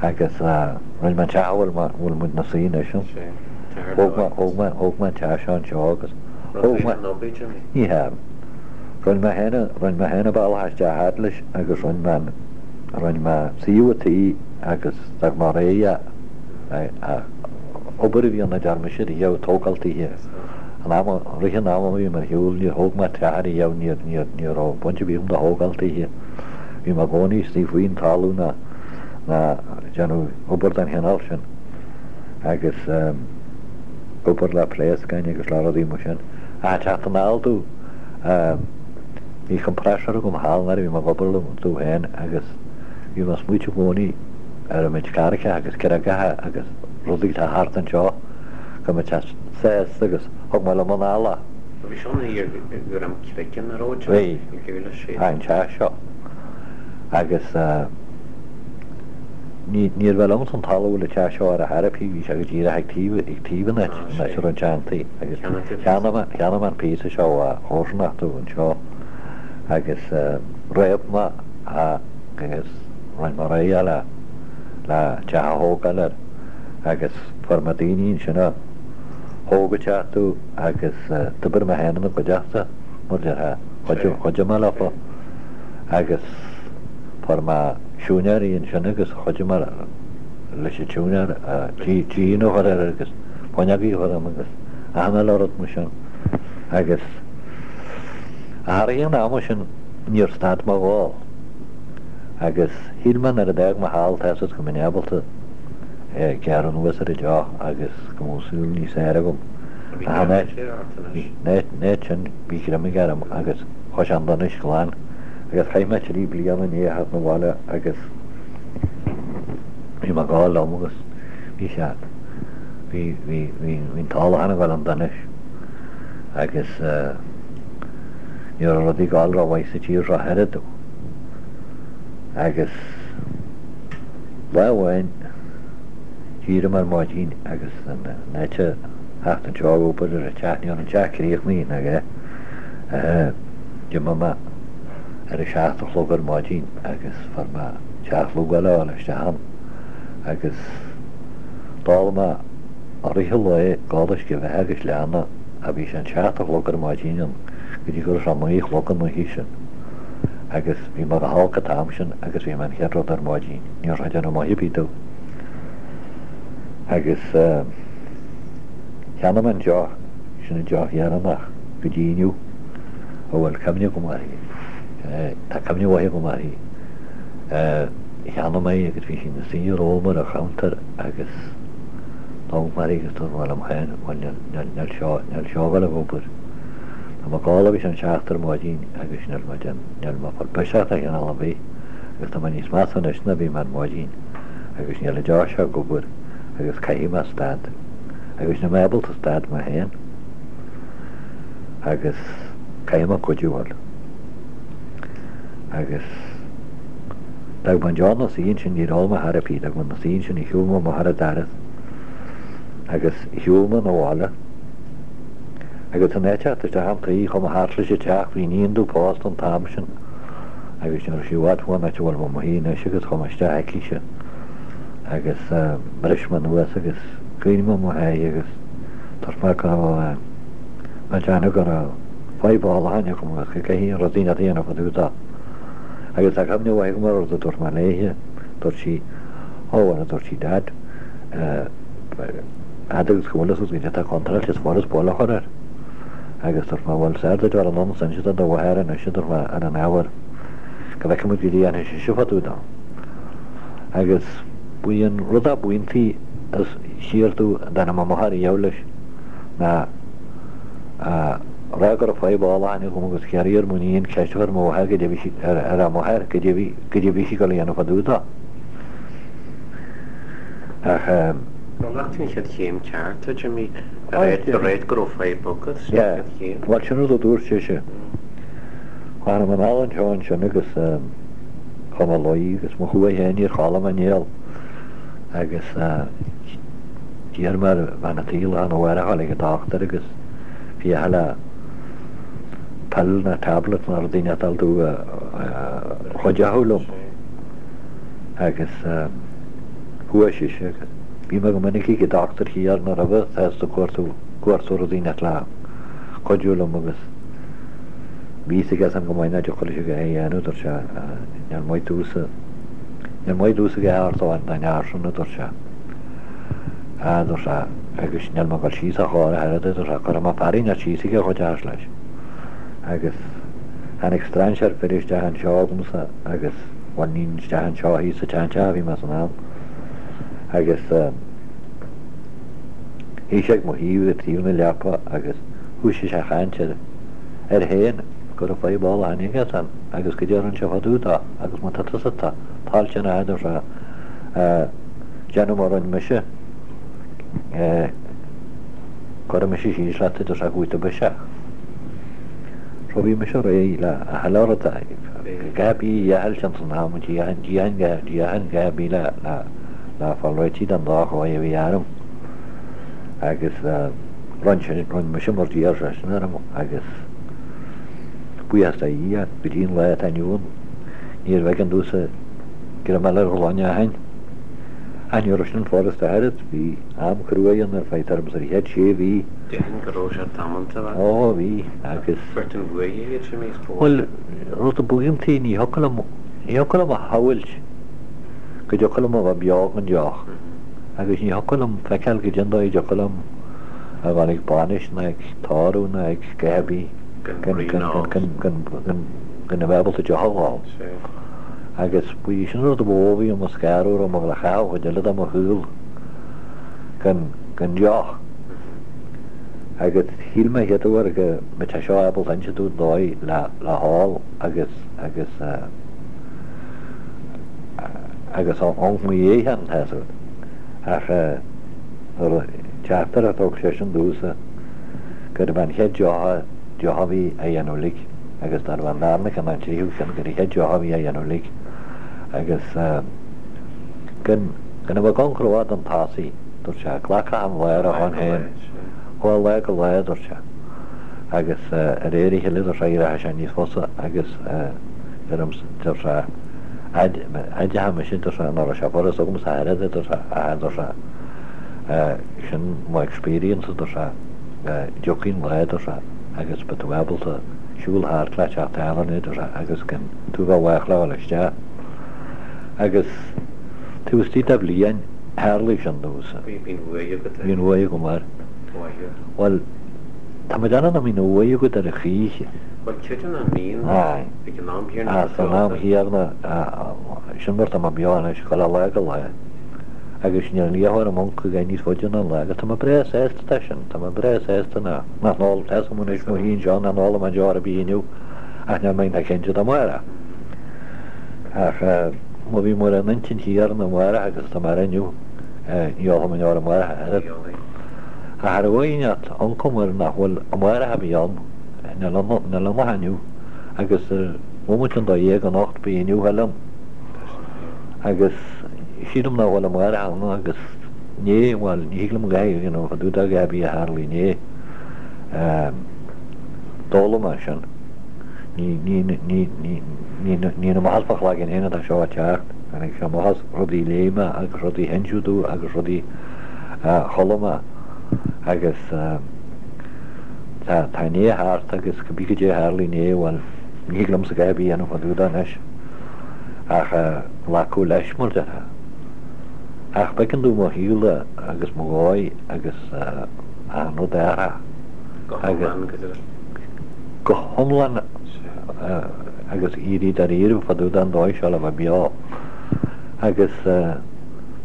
Agus rinne mé an teach a bhfuil mé, bhfuil muid 'na suí anois ann. Thóg mé, thóg mé, thóg mé an teach seo anseo agus thóg mé, ní hea, rinne mé féin, rinne mé féin an bealach isteach fhad leis agus rinne mé an, rinne mé suíomh an tí agus d'fhág mé réidh é, obair a bhí ann a deir mise riamh, tógáil tithe. An am, rith an ama a bhí mé ar shiúl níor thóg mé teach ariamh, níor, níor, ní raibh baint ar bith agam de thógáil tithe. Bhí mé i gcónaí istigh faoin talamh ná, ná déanamh obair den chineál sin agus obair le pléascáin agus le rudaí mar sin. Ach ag teacht anall domh, bhí compressor agam thall nuair a bhí mé ag obair liom domh féin agus bhí mé ag smaoitiú i gcónaí ar an méid carraigeacha agus creagacha agus rudaí atá thart anseo go mbeadh sé sásta agus thug mé liom anall é. Bhí seo ina dhiaidh go raibh craiceann ar fhód Bhí, an teach seo. Agus ní, níorbh é liomsa an talamh a bhfuil an teach seo ar a thairfí, bhí sé go díreach ag taobh, ag taobh an áit, an áit a raibh an teanntaí. Agus cheannaigh mé, cheannaigh mé an píosa seo ó chomharsanacht domh anseo agus réab mé é agus rinne mé réidh é le, le teach a thógáil air agus fuair mé daoine ansin a thóg an teach domh agus d'oibir mé féin ina gcuideachta, mar a déarfá, chuidigh mé leofa agus fuair mé siúinéirí ansin agus chuidigh mé leis an tsiúinéir díon a chur air agus fuinneogaí a chur ann agus achan uile rud mar sin agus thar an ama sin níor stad mo dhól agus shíl mé nuair a d'fhág mé thall tá's agat go mbeinn ábalta gearradh anuas ar an deoch agus go mbeadh saol níos fearr agam. Ach an áit sin bhí greim aige orm agus chuaigh sé chun donais glan agus chaith mé trí bliana i ndiaidh a theacht 'na bhaile agus bhí mé ag gabháil liom agus bhí sé, bhí, bhí, bhí, bhí an t-ólachán ag gabháil chun donais agus ní raibh rudaí ag gabháil rómhaith sa tír seo oiread agus lá amháin d'éirigh mé ar maidin agus in áit a theacht anseo ag obair ar an teach, ní raibh an teach críochnaithe ná a dhath, d'imigh mé ar a seacht a chlog ar maidin agus fuair mé teach lugáil a fháil isteach ann agus d'ól mé i rith an lae dhá uisce bheatha agus leanna a bhí sé an seacht a chlog ar maidin ann go dtí go raibh sé naoi a chlog an oíche sin agus bhí mé go holc an t-am sin agus bhí mé an chéad rud ar maidin, ní raibh sé ag déanamh maith ar bith domh. Agus cheannaigh mé an deoch, sin an deoch dheireanach go dtí inniu a bhfuil cuimhne agam uirthi. Tá cuimhne mhaith agam uirthi. Cheannaigh mé í agus bhí sí ina suí romham ar an chuntar agus d'amharc mé uirthi agus dúirt mé liom féin, bhuel níl seo, níl seo ag dul ag obair. Tá mé ag ól agus an seacht ar maidin agus níl mé níl mé ag fáil biseach de chineál ar bith agus tá mé níos measa anois ná bhí mé ar maidin. agus níl an deoch seo ag obair agus caithfidh mé stad agus níl mé ábalta stad mé féin agus caithfidh mé cuidiú a fháil. Agus d'fhág mé an deoch ina suí ansin, níor ól mé a dhath ar bith, d'fhág mé ina suí ansin, shiúil mé amach ar an doras agus shiúil mé 'na bhaile agus in áit teacht isteach an tuí chuaigh mé thart leis an teach, bhí iníon domh pósta an t-am sin. agus ní raibh sí i bhfad ón áit a bhfuil mé i mo shuí anois agus chuaigh mé isteach chuici agus bhris mé anuas agus chaoin mé mo sháith agus dúirt mé go raibh mé ag déanamh go raibh fadhb ólacháin agam agus go gcaithfinn rud éigin a dhéanamh fá dtaobh dó. Agus tá cuimhne mhaith agam ar rud a dúirt mé léithe, dúirt sí, Ó bhuel, a dúirt sí, Dad, fhad agus go bhfuil fhios agat goidé atá contráilte is furast buille a chur air. Agus dúirt mé, bhuel, is fhearr duit dul anonn is inse do do mháthair anois, a dúirt mé, ar an ábhar, go bhfeicfidh muid goidé a dhéanfaidh sise fá dtaobh dó. Agus ba í an rud ab iontaí is siar domh a dtáinig mo mháthair riamh leis ná a rá go raibh fadhb ólacháin agam agus ag iarraidh ar m'iníon ceist a chur ar mo mháthair goidé a bhí sí, ar a máthair, goidé a bhí, goidé a bhí sí ag dul a dhéanamh fá dtaobh dó. Ach. Bhuel, nach sin an chéad chéim ceart, a Jimmy, a ráit go raibh fadhb agat, sin an chéad chéim. Bhuel, sin rud a dúirt sise. Tháinig mé anall anseo ansin agus chuaigh mé a luí agus mo chuaigh féin níor chodlaigh mé néal agus d'iarr mé ar bhean an tí lá arna mhárach a ghabháil ag an dochtúir agus féachaint le pill nó tablet nó rud éigin a fháil domh a chuideodh liom. Agus. Chuaigh sise agus bhí mé go minic ag an dochtúir thiar nuair a bheadh sásta cuartú cuartú rudaí nach le cuidiú liom agus bhí fhios aige san go maith nach dtiocfadh leis a dhath a dhéanamh, dúirt sé, níor mhaith domhsa, níor mhaith domhsa a dhath a thabhairt don fhear sin, a dúirt sé. A dúirt sé, agus níl mé ag dul síos a chor a oiread, a dúirt sé, cuirfidh mé fear inteacht síos aige a chuideochas leis. Agus tháinig strainséir fir isteach anseo agamsa agus bhuel ní isteach anseo thíos sa tseanteach a bhí mé san am agus shuigh sé ag mo thaobh ag taobh na leapa agus thoisigh sé a chaint air air féin go raibh fadhb ólacháin aige san agus goidé a rinne sé fá dtaobh dó agus má tá tusa toilteanach a dúirt sé déanamh mar a rinne mise cuirfidh mise síos leat a dúirt sé go bhfaighidh tú biseach. So bhí mise réidh le a thuilleadh rud a Dhath ar bith a dheighilt ins an am, déarfainn a dhath ar bith le fáil réitithe den dá dhóigh a bhí orm. Agus rinn sin, rinn mise mar d'iarr seisean orm agus buíochas do Dhia, go dtí an lá atá inniu ann, níorbh éigean domhsa greim eile ar ghloine ó shin. Ach ní raibh sin furasta ach oiread, bhí am cruaidh ann ar feadh tuairim is an chéad sé mhí. Déarfainn go raibh sé damanta, a. Ó, bhí, agus. Beirt an bhuaidh iad sin níos mó. Bhuel, rud a b'iontaí, ní thiocfadh liom, ní thiocfadh liom a shamhailt go dtiocfadh liom a bheith beo gan deoch. Agus ní thiocfadh liom feiceáil goidé an dóigh a dtiocfadh liom a dhul ag bainis ná ag tórramh ná ag a dhath ar bith gan, gan, gan, gan, gan, gan a bheith ábalta deoch a dh'ól. Agus ba í sin an rud a ba mhó a bhí i mo scanradh, raibh mé ag dul a chaitheamh an chuid eile de mo shaol gan, gan deoch. Agus shíl mé chéad uair go mbeadh sé seo ábalta inse domh dóigh le le hól agus agus agus amhanc mo dhiaidh féin tá fhios agat. Ach nuair a teachtaireacht a thug seisean domhsa gurbh an chéad deoch deoch a bhí á dhéanamh uilig agus nárbh an darna ceann ná an tríú ceann gur an chéad deoch a bhí á dhéanamh uilig agus gan gan a bheith ag amhanc rófhada chun tosaigh. Dúirt sé, Glac achan lá ar a shon féin. Ó lá go lá, a dúirt sé. Agus ar réir a chéile, dúirt sé, éireoidh sé níos fusa agus deirim, dúirt sé, fhad atá mise, dúirt sé, nach raibh sé furast agamsa ach oiread, a dúirt sé, ach a dúirt sé, sin mo experience, a dúirt sé, tiocfaidh an lá, a dúirt sé, agus beidh tú ábalta siúl thart le teach tábhairne, a dúirt sé, agus gan tú a bheith i bhfách le dhul isteach. Agus taobh istigh de bhliain, Tharlaigh sin domhsa. Bhí an bhuaidh agat air. Bhí an bhuaidh agam air. Mhaith. Bhuel, tá mé ag déanamh nach mbíonn an bhuaidh agat air a choíche. Bhuel, creidim nach mbíonn. Aye. Ag an am chéanna. Aye, san am chéanna, sin mar tá mé beo anois, chuile lá go lá. Agus níl an liathróid i m'uncail aige níos faide ná an lá agus tá mé breá sásta de sin, tá mé breá sásta nach n-ól, tá fhios agam anois mo shuí anseo nach n-ólfaidh mé deoir ar bith inniu ach níl mé iontach cinnte de amárach. Ach má bhí mé ar an intinn chéanna amárach agus atá mé air inniu, ní ólfaidh mé deoir amárach ach oiread. Ach ar dhóigh inteacht, ioncam air nach bhfuil amárach a bhí ann, níl ann ach inniu, agus bhomaite chun dó dhéag anocht beidh inniu eile ann. Agus sílim nach bhfuil amárach ann agus inné, bhuel, ní thig liom a dhath a dhéanamh fá dtaobh de a dhath ar bith a tharlaigh inné. D'fhoghlaim mé sin. Ní ní amach as mo chloigeann féin atá seo ag teacht, tháinig sé amach as rudaí a léigh mé agus rudaí a hinsíodh domh agus rudaí a chuala mé agus tá tá inné thart agus cibé goidé a tharlaigh inné, bhuel, ní thig liomsa a dhath ar bith a dhéanamh fá dtaobh de anois ach glacadh leis mar déarfá. Ach b'éigean domh mo shaol agus mo dhóigh agus achan rud a athrú. Go hiomlán, go deimhin. Go hiomlán agus éirí dáiríre fá dtaobh den dóigh seo le bheith beo. Agus tá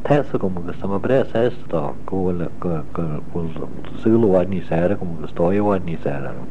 fhios agam agus tá mé breá sásta dó go bhfuil go bhfuil saol i bhfad níos fearr agam agus dóigh i bhfad níos fearr orm.